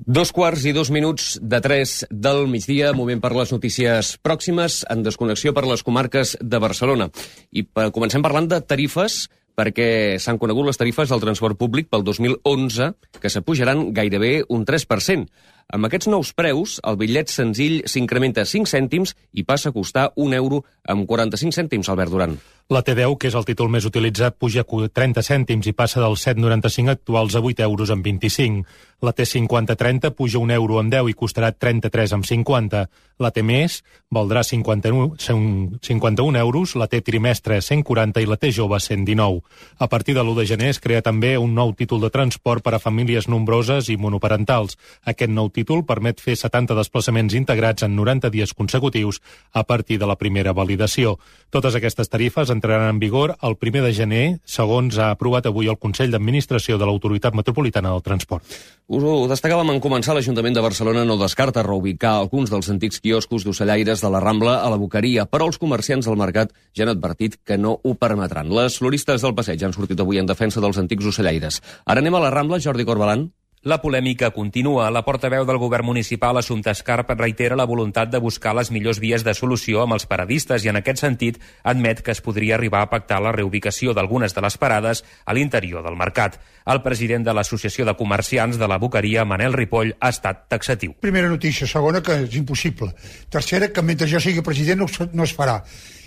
2:02 del migdia, moment per les notícies pròximes, en desconnexió per les comarques de Barcelona. I comencem parlant de tarifes, perquè s'han conegut les tarifes del transport públic pel 2011, que s'apujaran gairebé un 3%. Amb aquests nous preus, el bitllet senzill s'incrementa 5 cèntims i passa a costar €1,45, Albert Duran. La T10, que és el títol més utilitzat, puja 30 cèntims i passa dels 7,95 actuals a €8,25. La T5030 puja €1,10 i costarà 33,50. La T més valdrà 51 euros, la T trimestre 140 i la T jove 119. A partir de l'1 de gener es crea també un nou títol de transport per a famílies nombroses i monoparentals. Aquest nou títol permet fer 70 desplaçaments integrats en 90 dies consecutius a partir de la primera validació. Totes aquestes tarifes entraran en vigor el 1 de gener, segons ha aprovat avui el Consell d'Administració de l'Autoritat Metropolitana del Transport. Us ho destacàvem en començar. L'Ajuntament de Barcelona no descarta reubicar alguns dels antics quioscos d'ocellaires de la Rambla a la Boqueria, però els comerciants del mercat ja han advertit que no ho permetran. Les floristes del passeig han sortit avui en defensa dels antics ocellaires. Ara anem a la Rambla, Jordi Corbalan. La polèmica continua. La portaveu del govern municipal, Assumpta Escarp, reitera la voluntat de buscar les millors vies de solució amb els paradistes i en aquest sentit admet que es podria arribar a pactar la reubicació d'algunes de les parades a l'interior del mercat. El president de l'Associació de Comerciants de la Boqueria, Manel Ripoll, ha estat taxatiu. Primera notícia. Segona, que és impossible. Tercera, que mentre jo sigui president no es farà.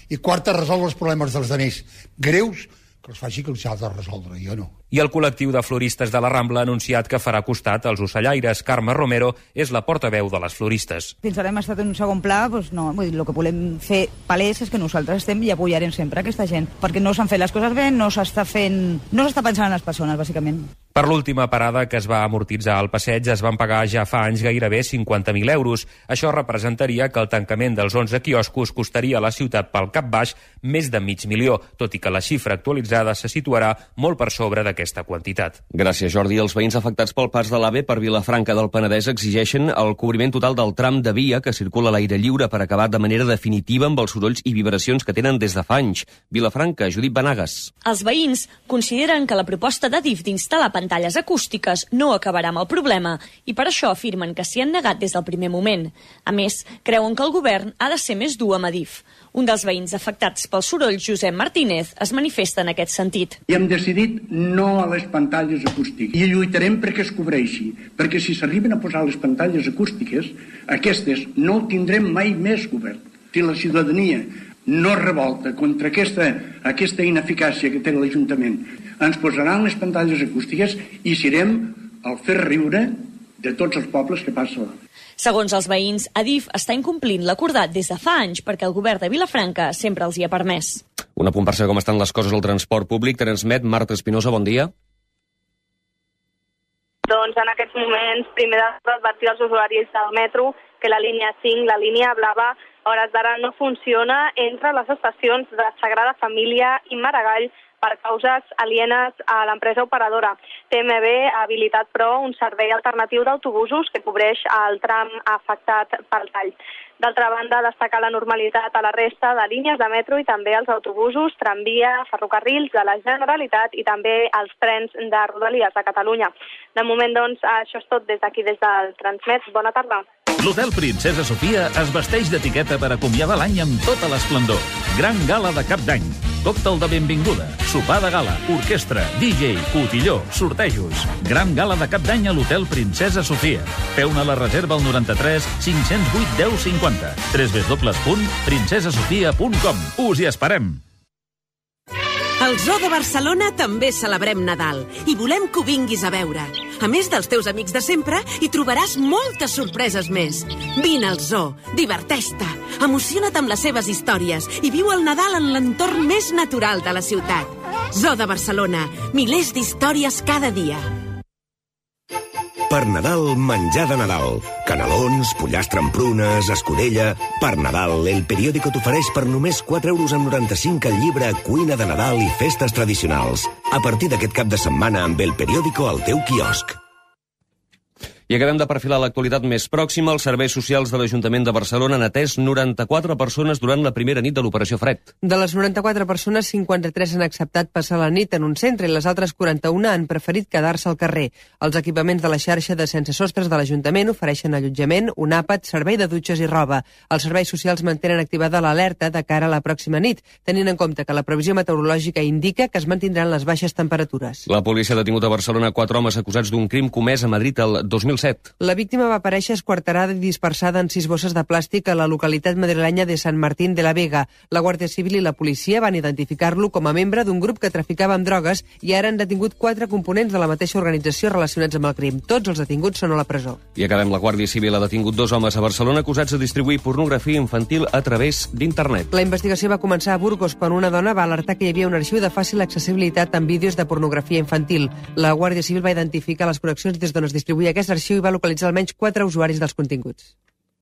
I quarta, resoldre els problemes dels altres greus, que els faci que els ha de resoldre, jo no. I el col·lectiu de floristes de la Rambla ha anunciat que farà costat als ocellaires. Carme Romero és la portaveu de les floristes. Fins ara hem estat en un segon pla, doncs no, vull dir, el que volem fer palès és que nosaltres estem i apoyarem sempre aquesta gent, perquè no s'han fet les coses bé, no s'està pensant en les persones, bàsicament. Per l'última parada que es va amortitzar al passeig es van pagar ja fa anys gairebé 50.000 euros. Això representaria que el tancament dels 11 quioscos costaria a la ciutat pel cap baix més de $500.000, tot i que la xifra actualitzada se situarà molt per sobre d'aquesta quantitat. Gràcies, Jordi. Els veïns afectats pel pas de l'AVE per Vilafranca del Penedès exigeixen el cobriment total del tram de via que circula a l'aire lliure per acabar de manera definitiva amb els sorolls i vibracions que tenen des de fa anys. Vilafranca, Judit Benagas. Els veïns consideren que la proposta d'Adif d'instal·lar pantalles acústiques no acabarà amb el problema i per això afirmen que s'hi han negat des del primer moment. A més, creuen que el govern ha de ser més dur amb Adif. Un dels veïns afectats pel soroll, Josep Martínez, es manifesta en aquest sentit. I hem decidit no a les pantalles acústiques i lluitarem perquè es cobreixi, perquè si s'arriben a posar les pantalles acústiques, aquestes no ho tindrem mai més govern. Si la ciutadania no revolta contra aquesta ineficàcia que té l'Ajuntament, ens posaran les pantalles acústiques i serem el fer riure de tots els pobles que passen. Segons els veïns, Adif està incomplint l'acordat des de fa anys perquè el govern de Vilafranca sempre els hi ha permès. Un apunt per saber com estan les coses al transport públic. Transmet Marta Espinosa, bon dia. Doncs en aquests moments, primer d'advertir als usuaris del metro que la línia 5, la línia blava, a hores d'ara no funciona entre les estacions de Sagrada Família i Maragall per causes alienes a l'empresa operadora. TMB ha habilitat, però, un servei alternatiu d'autobusos que cobreix el tram afectat pel tall. D'altra banda, destacar la normalitat a la resta de línies de metro i també els autobusos, tramvia, ferrocarrils de la Generalitat i també els trens de Rodalies de Catalunya. De moment, doncs, això és tot des d'aquí, des del Transmet. Bona tarda. L'Hotel Princesa Sofia es vesteix d'etiqueta per acomiadar l'any amb tota l'esplendor. Gran gala de cap d'any, còctel de benvinguda, sopar de gala, orquestra, DJ, cotilló, sortejos. Gran gala de cap d'any a l'Hotel Princesa Sofia. Feu-ne la reserva al 93 508 1050 www.princesasofia.com. Us hi esperem! Al Zoo de Barcelona també celebrem Nadal i volem que ho vinguis a veure. A més dels teus amics de sempre, hi trobaràs moltes sorpreses més. Vine al Zoo, diverteix-te, emociona't amb les seves històries i viu el Nadal en l'entorn més natural de la ciutat. Zoo de Barcelona, milers d'històries cada dia. Per Nadal, menjar de Nadal. Canelons, pollastre amb prunes, escudella... Per Nadal, El Periódico t'ofereix per només €4,95 el llibre Cuina de Nadal i festes tradicionals. A partir d'aquest cap de setmana amb El Periódico al teu quiosc. I acabem de perfilar l'actualitat més pròxima. Els serveis socials de l'Ajuntament de Barcelona han atès 94 persones durant la primera nit de l'Operació Fred. De les 94 persones, 53 han acceptat passar la nit en un centre i les altres 41 han preferit quedar-se al carrer. Els equipaments de la xarxa de sense sostres de l'Ajuntament ofereixen allotjament, un àpat, servei de dutxes i roba. Els serveis socials mantenen activada l'alerta de cara a la pròxima nit, tenint en compte que la previsió meteorològica indica que es mantindran les baixes temperatures. La policia ha detingut a Barcelona 4 homes acusats d'un crim comès a Madrid el 2007. La víctima va aparèixer esquarterada i dispersada en 6 bosses de plàstic a la localitat madrilenya de Sant Martín de la Vega. La Guàrdia Civil i la policia van identificar-lo com a membre d'un grup que traficava amb drogues i ara han detingut 4 components de la mateixa organització relacionats amb el crim. Tots els detinguts són a la presó. I acabem. La Guàrdia Civil ha detingut 2 homes a Barcelona acusats de distribuir pornografia infantil a través d'internet. La investigació va començar a Burgos quan una dona va alertar que hi havia un arxiu de fàcil accessibilitat amb vídeos de pornografia infantil. La Guàrdia Civil va identificar les connexions des d'on es distribuïa aquest arxiu i va localitzar almenys 4 usuaris dels continguts.